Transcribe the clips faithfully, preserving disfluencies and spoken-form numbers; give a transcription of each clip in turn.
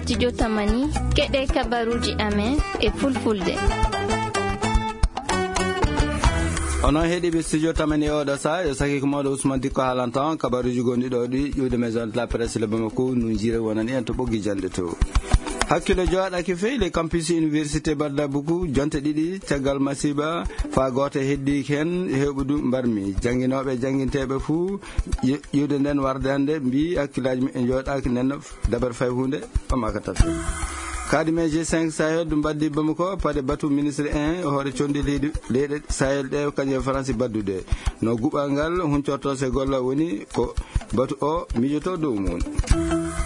Studio Tamani, keɗe kabaruuji amen e fulfulde. Onon heɗiiɓe Studio Tamani e oɗo saa, yo saki ko mawɗo Ousmane Dikko haalanta on kabaruuji gonɗi ɗo ɗi ƴuwde Maison de la Presse le Bamako, no jiire wonani en to ɓoggi jannde to. Hakkille jooɗaaki fey le campus université Badda Buku, jonte ɗiɗi caggal masiiba, faa gooto heddiiki heen, heewɓe du mbarmi. Jannginooɓe e jannginteeɓe fuu, ƴi-, ƴiwde nden warde hannde, mbii hakkillaaji muɓɓen jooɗaaki nden, dabare fay huunde, ɓamaaka tafde. Kaadi men G cinq Sahel du mbaddi Bamako, pade batu ministre en, hoore condi leydi, leyɗe Sahel ɗe, kañum e Faransi baddude. No guɓal ngal huncorto se golla woni ko batu o mijoto dow mum.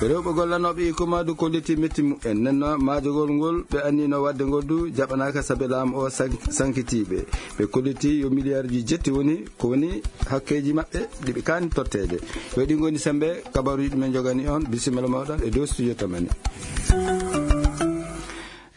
Rewɓe gollanooɓe e kumadu kolliti metti muɓɓen. Nenno maajogol ngol ɓe annino wadde ngol du jaɓanaaka sabe laamu o san-, sankitiiɓe. Ɓe kolliti yo miliyaarji jetti woni ko woni hakkeeji maɓɓe ɗi ɓe kaani totteede. Yo ɗi ngoni sembe kabaruuji ɗi men jogani on. Bisimilla mawɗo e dow studio Tamani.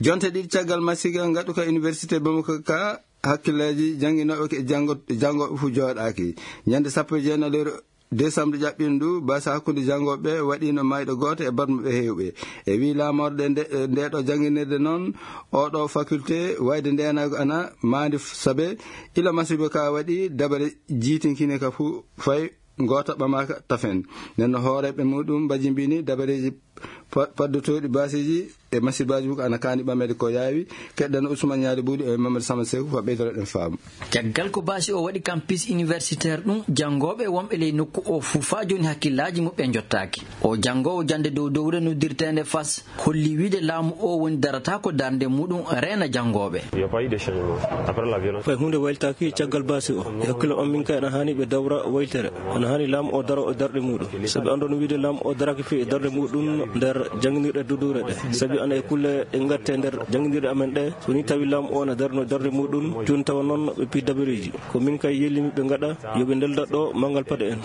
Jonte ɗiɗi caggal masiiba ngaɗuka Université Bamako ka, hakkillaaji jannginooɓe ke janngo-, janngooɓe fof jooɗaaki. Ñande sappo e jeenayi lewru décembre ƴaɓɓiino ndu, baasa hakkunde janngooɓe waɗiino maayɗo gooto e barmuɓe heewɓe. E wii laamorde nde, nde ɗo jannginirde noon, oɗo faculté wayde ndeenaagu ana maandi f-, sabe ila masiiba ka waɗi, dabare jiitinkine ka fof fay ngoota ɓamaaka tafen. Nden no hooreeɓe muɗum mbajimbini dabareeji pa-, paddotooɗi baasiiji e masiibaaji fof ana kaani ɓameede ko yaawi. Keɗɗen Ousmane Ñaali Buuɗi e Mamadou Sama Seeku ko ɓeydoro ɗen faamu. Caggal ko baasi o waɗi campus universitaire ɗum, janngooɓe wonɓe ley nokku o fof faa jooni hakkillaaji muɓɓen njottaaki. O janngoowo jannde dow dowre noddirteende fas holli wiide laamu o woni darata ko darnde muɗum reena janngooɓe. Fay huunde wayltaaki caggal baasi o. E hakkille am min kay ena haani ɓe dawra waylitere. Ena haani laamu o daro e darɗe muɗum. Sabi anndon wiide laamu o daraki fii e darɗe muɗum nder jannginirɗe duduure ɗe. Sabi ana e kulle ɗe ngatte nder jannginirɗe amen ɗe. So ni tawi laamu o na darno darɗe muɗum, jooni tawa noon ɓe pii dabareeji. Ko min kay yellimi ɓe ngaɗa, yo ɓe ndelda ɗo manngal paɗe en.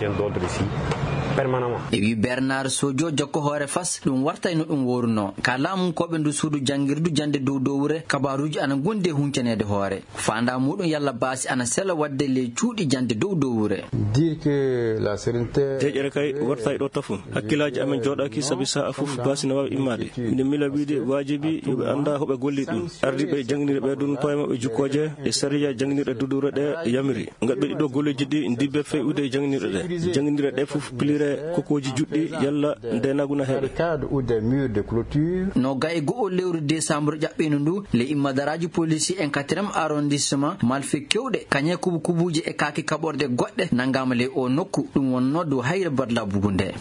E wi Bernard Sodio, jokko hoore fas, ɗum wartay no ɗum woorunoo. Ka laamunkooɓe ndu suudu janngirdu jannde dow dowre, kabaruuji ana ngondi e huncaneede hoore. Faandaa muɗum yalla baasi ana sela waɗde ley cuuɗi jannde dow dowre. Dire que la sérénité. Deeƴere kay wartay ɗo tafo. Hakkillaaji amen jooɗaaki sabi sa'a fof baasi na waawi immaade. Nde mila wiide waajibi yo ɓe annda hoɓe golli ɗum. Ardiiɓe jannginirɓe ɗum koye maɓɓe jukkooje e sariya jannginirɗe duduure ɗe yamiri. Ngaɗɓe ɗiɗo golleeji ɗi ndibbe fewude e jannginirɗe ɗe. Jannginirɗe ɗe fof pilire kokkooji juɗɗi yalla ndeenaagu na heɓe. Cadre ou des murs de clôture. No gaye go'o lewru décembre ƴaɓɓiino ndu, le immadaraaji polisi en quatrième arrondissement, malfe kewɗe, kañe kubu kubuuje e kaaki kaɓorɗe goɗɗe nanngaama le o nokku, ɗum wonnoo dow hayre badla bugu nde.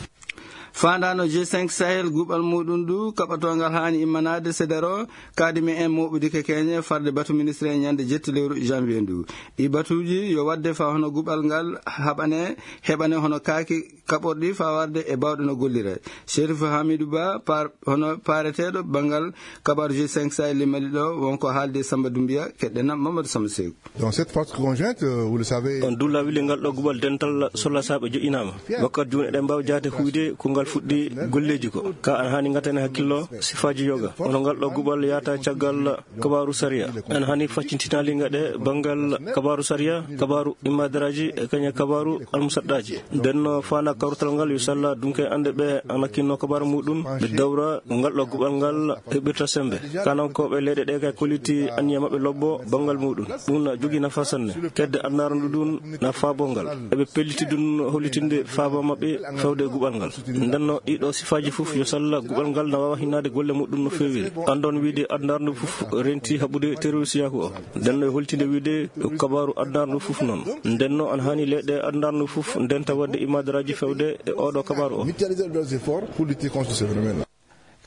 Faandaano G cinq Sahel guɓal muɗum ndu kaɓatoongal haani immanaade sedero, kaadi mi en mooɓude kekeñe farde batu ministre e ñande jetti lewru janvier ndu. Ɗi batuuji yo waɗde fa hono guɓal ngal haɓane, heɓane hono kaaki kaɓorɗi fa warde e baawɗe no gollira. Chérif Hamidou Ba, par-, hono paareteeɗo banngal kabaaru G cinq Sahel limmali ɗo, wonko haalde Samba Doumbia, keɗɗen Mamadou Samba Seeku. Donc cette force conjointe, euh, vous le savez. On dulla wile ngal ɗo guɓal dental solla saaɓe joƴƴinaama. Wakkati jooni eɗen mbaawi jaate huyde ko ngal fuɗɗi golleeji ko. Ka an haani ngatane hakkillo sifaaji yoga. Ono ngal ɗo guɓal yaata caggal kabaaru sariya. En haani faccintinaali ngaɗe banngal kabaaru sariya, kabaaru immadaraaji, e kañe kabaaru almusaɗɗaaji. Nden no faana kawrutal ngal yo salla dunke annde ɓe ana kinno kabaaru muɗum, ɓe dawra ngal ɗo guɓal ngal heɓirta sembe. Kanankooɓe leyɗe ɗe kay kolliti anniya maɓɓe lobbo banngal muɗum. Ɗum na jogii nafa sanne. Kedde annarandu ɗum na faabo ngal. Eɓe pelliti ɗum hollitinde faaba maɓɓe fewde e guɓal ngal. Nden no ɗiɗo sifaaji fof yo salla guɓal ngal na waawa hinnaade golle muɗum no feewiri. Anndon wiide annarandu fof renti haɓude terroristiyaaku o. Nden no e holtinde wiide ko kabaaru annarandu fof noon. Nden no an haani leyɗe annarandu fof ndenta waɗde immadaraaji fewde e oɗo kabaaru o. Mutualiser leurs efforts pour lutter contre ce phénomène-là.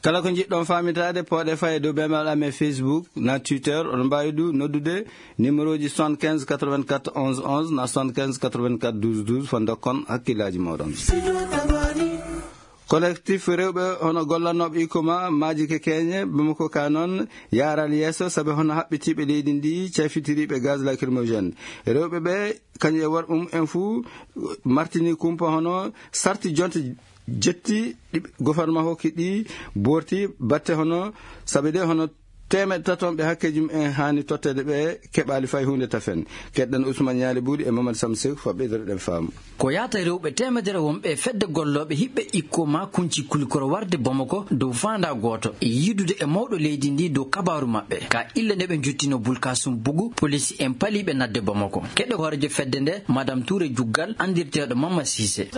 Kala ko njiɗɗon faamitaade, pooɗe fay e dow bemel amen Facebook, na Twitter, oɗon mbaawi du noddude numéro ji soixante-quinze quatre-vingt-quatre onze onze na soixante-quinze quatre-vingt-quatre douze douze, fo ndokkon hakkillaaji mooɗon. Collectif rewɓe hono gollanooɓe Ikoma maaji ke keeñe, Bamako ka noon yaaral yeeso, sabi hono haɓɓitiiɓe leydi ndi, cafitiriiɓe gaz lacrymogène. Rewɓe ɓe, kañum e worɓe mum en fuu, martini kumpa hono sarti jonte jetti ɗi gouvernement hokki ɗi, borti batte hono, sabi de hono Teemeɗɗe tatonɓe hakkeeji mumen haani totteede ɓe keɓaali fay huunde tafen. Keɗɗen Usman Ñaali Buuɗi e Mamad Sam Seeku fa ɓeydoreɗen faamu. Ko yaata rewɓe teemedere wonɓe e fedde gollooɓe hiɓɓe ikko ma kunci kulikoro warde Bamako dow faandaa gooto e yiidude e mawɗo leydi ndi dow kabaaru maɓɓe. Ka illa nde ɓe njottino Bulkasum Bugu, polisi en paliiɓe nadde Bamako. Keɗɗo hoorejo fedde nde, Madame Touré Juggal, anndirteeɗo Mama Siise.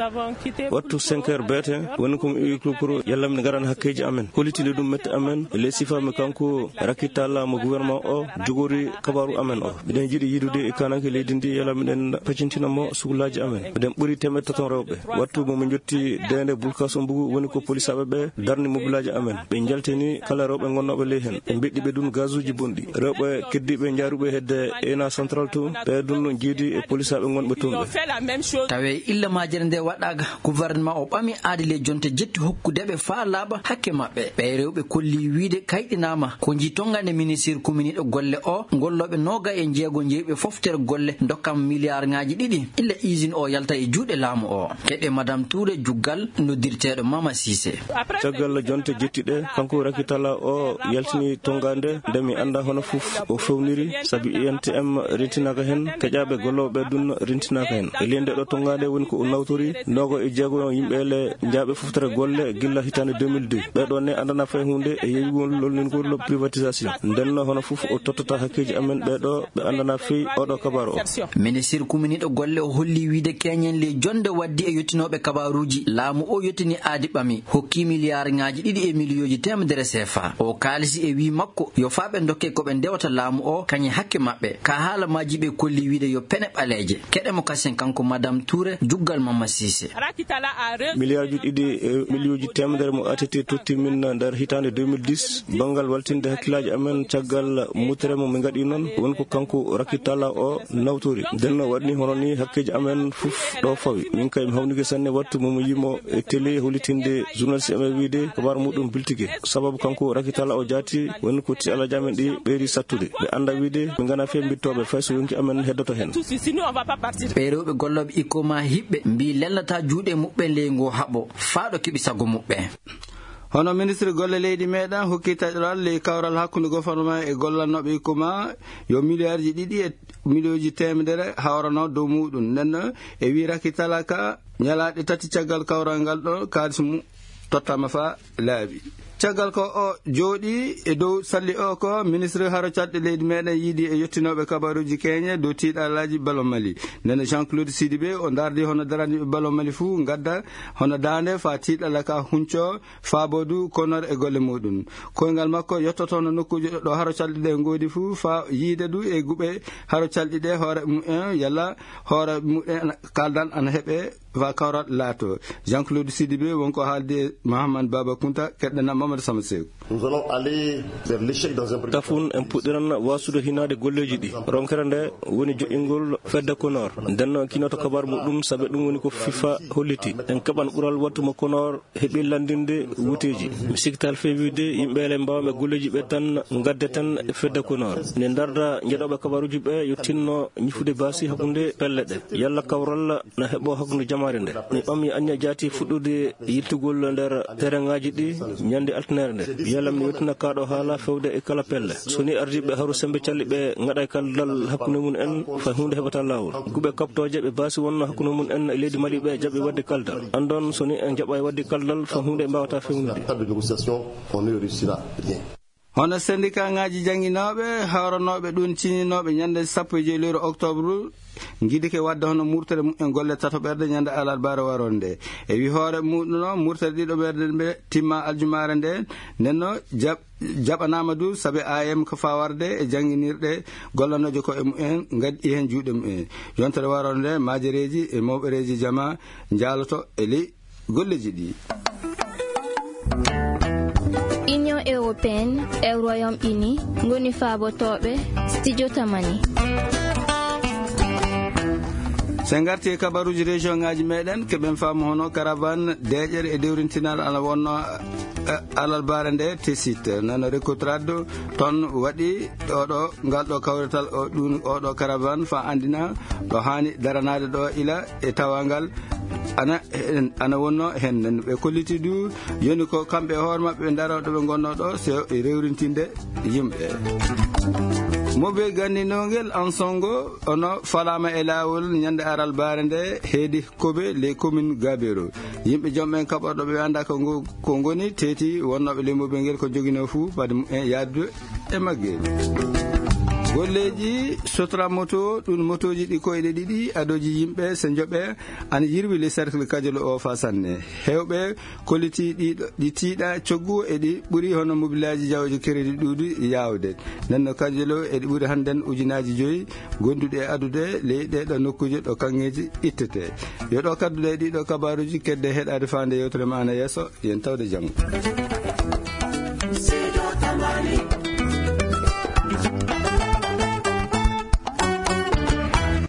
Wattu cinq heures beete, woni ko mi iwi kulkuru, yalla min ngaran hakkeeji amen. Hollitinde ɗum mette amen, e ley sifa mi kanko Rakitalla mo gouvernement o jogori kabaaru amen o. Miɗen jiɗi yiidude e kananke leydi ndi, yalla miɗen pacintina mo suklaaji amen. Miɗen ɓuri teemeɗɗe taton rewɓe. Wattu mo min njotti deende Bulkasum Bugu, woni ko polisaaɓe ɓe darni mobilaaji amen. Ɓe njaltini kala rewɓe gonnooɓe ley hen. Ɓe mbeɗɗi ɓe ɗum gazuuji bonɗi. Rewɓe keddiiɓe njaaruɓe hedde E N A Central to, ɓe ɗum jiidi e polisaaɓe gonɓe toon ɓe. Tawi illa majere nde waɗaaka, gouvernement o ɓami aadi ley jonte jetti hokkude ɓe faa laaɓa hakke maɓɓe. Ɓee rewɓe kolli wiide kayɗinaama ko nji tongande ministir kominiiɗo golle o, gollooɓe noogay e jeego jeyiɓe foftere golle dokkam miliyaarŋaaji ɗiɗi. Illa usine o yalta e juuɗe laamu o. Keɗe Madame Touré Juggal noddirteeɗo Mama Siise. Caggal jonte jetti ɗe, kanko Rakitalla o yaltini tongande nde mi annda hono fof o fewniri, sabi I N T M rentinaaka hen, keƴaaɓe gollooɓe ɗum rentinaaka hen. E ley nde ɗo tongande woni ko o nawtori, noogay e jeego yimɓe le njaaɓe foftere golle gilla hitaande deux mille deux. Ɓee ɗo ne anndana fay huunde e yeeyugol lolningol privatisation. Nden no hono fof o tottata hakkeeji amen ɓee ɗo ɓe anndana fey oɗo kabaaru o. Ministir kuminiiɗo golle o holli wiide keñen ley jonde waddi e yottinooɓe kabaaruuji. Laamu o yottini aadi ɓami, hokki miliyaarŋaaji ɗiɗi e miliyooji teemedere C F A. O kaalisi e wii makko, yo faa ɓe ndokke ko ɓe ndewata laamu o, kañe hakke maɓɓe. Ka haala majji ɓe kolli wiide yo pene ɓaleeje. Keɗe mo kasen kanko Madame Touré, Juggal Mamma Siise. Miliyaarji ɗiɗi e miliyooji teemedere mo A T T totti min nder hitaande deux mille dix, banngal waltinde hakkillaaji amen caggal mutere mo min ngaɗi noon, woni ko kanko Rakitalla o nawtori. Nden no waɗni hono ni hakkeeji amen fof ɗo fawi. Min kay mi hawnike sanne wattu mo mo yimo e télé hollitinde journaliste amen wiide kabaar muɗum biltike. Sababu kanko Rakitalla o jaati woni ko ti alaaji amen ɗi ɓeydi sattude. Ɓe annda wiide min ngana fee mbittooɓe fay so yonki amen heddoto hen. Ɓee rewɓe gollooɓe ikko ma hiɓɓe mbii lelnata juuɗe muɓɓen ley ngoo haɓo faa ɗo keɓi sago muɓɓen. Hono ministre golle leydi meɗen hokki taƴoral ley kawral hakkunde gouvernement e gollannooɓe ikko ma yo miliyaarji ɗiɗi e miliyooji teemedere hawrano dow muɗum. Nden no e wii Rakitalla ka ñalaaɗe tati caggal kawral ngal ɗo kaalis mum tottama fa laabi. Caggal ko o jooɗi e dow salli o ko ministre haro caɗɗe leydi meɗen yiidi e yottinooɓe kabaruuji keñe dow tiiɗalaaji Balo Mali. Nden no Jean-Claude Sidibé o ndardi hono daraniiɓe Balo Mali fuu ngadda hono daande fa tiiɗalla ka hunco faaboodu konor e golle muɗum. Koyngal makko yottotono nokkuuji ɗo haro calɗi ɗe ngoodi fuu fa yiide du e guɓe haro calɗi ɗe hoore mumen yalla hoore mumen kaldan ana heɓe fa kawral laato. Jean-Claude Sidibé wonko haaldi e Mohamed Baba Kunta keɗɗana Mamadou Sama Sew. Nous allons aller vers l'échec dans un premier Tafun en puɗɗiran waasude hinaade golleeji ɗi. Ronkere nde woni joƴƴingol fedde Konor. Nden noon kinoto kabar muɗum sabe ɗum woni ko FIFA holliti. En keɓan ɓural wattu mo Konor heɓi lanndinde wuteeji. Mi sikkital fewiide yimɓe ele mbawɓe golleeji ɓe tan ngadde tan e fedde Konor. Ne ndarda njeɗoɓe kabaruuji ɓe yo tinno ñifude baasi hakkunde pelle ɗe. Yalla kawral na heɓo hakkunde jamaare nde. Mi ɓami anniya jaati fuɗɗude yiltugol nder terrainŋaaji ɗi ñande altinere nde. Yalla mi yottina kaɗo haala fewde e kala pelle. So ni ardiiɓe haru sembe calli ɓe ngaɗa e kaldal hakkunde mum en fa hunde heɓata laawol. Guɓe kaɓtooje ɓe baasi wonno hakkunde mum en e leydi Mali ɓe jaɓi waɗde kaldal. Andon so ni en jaɓa e waɗde kaldal fa hunde mbawata fewnude. Cadre de négociation, on ne réussira rien. Hono sendikaaŋaaji jannginooɓe, hawranooɓe ɗum ciñinooɓe ñande sappo e joy lewru octobre, ngidike waɗde hono murtere mumen golle tatoɓerde ñande alarbaare waroore nde. E wi hoore muɗum noon, murtere ɗiɗoɓerde nde timma aljumaare nde, nden no jaɓ-, jaɓanaama du sabe A M ko fawarde e jannginirɗe gollanooje ko e mumen, ngaddi heen juuɗe mumen. Yontere waroore nde, maajereeji e mawɓereeji jama njaaloto e ley golleeji ɗi. Union européenne e Royaume-Uni ngoni faabotooɓe Studio Tamani. So en ngarti e kabaruuji région ŋaaji meɗen, keɓen faamu hono caravane deeƴere e dewrintinal ana wonno, eh, alarbaare nde Tessit. Nano Recotrade toon waɗi ɗo ɗo, ngal ɗo kawrital o, ɗum o ɗo caravane fa andina ɗo haani daranaade ɗo ila e tawangal ana, ana wonno hen. Ɓe kolliti du yoni ko kamɓe e hoore maɓɓe ɓe ndaro ɗo ɓe ngonno ɗo, so e rewrintinde yimɓe. Mobe ganndinongel Ansongo ono falaama e laawol ñande alarbaare nde heedi Kobe, les communes Gabero. Yimɓe jom ɓen kaɓorɗo ɓe annda ko ngo-, ko ngoni teeti wonnooɓe ley mobe ngel ko joginoo fuu fade mum en yaadude e maggel. Golleeji Sotra Moto, ɗum motooji ɗi koyɗe ɗiɗi adooji yimɓe so njoɓe ana yirwi le cercle Kajolo o fa sanne. Heewɓe kolliti ɗi, ɗi tiiɗa coggu e ɗi ɓuri hono mobilaaji jawdi crédit ɗuuɗi yaawde. Nden no Kajolo e ɗi ɓuri hannden ujunaaji joyi gonduɗe e adude ley ɗee ɗo nokkuuje ɗo kaŋŋeeji ittete. Yo ɗo kadduɗe e ɗiɗo kabaaruuji kedde heɗaade faande yewtere ma ana yeeso, yen tawde janngo.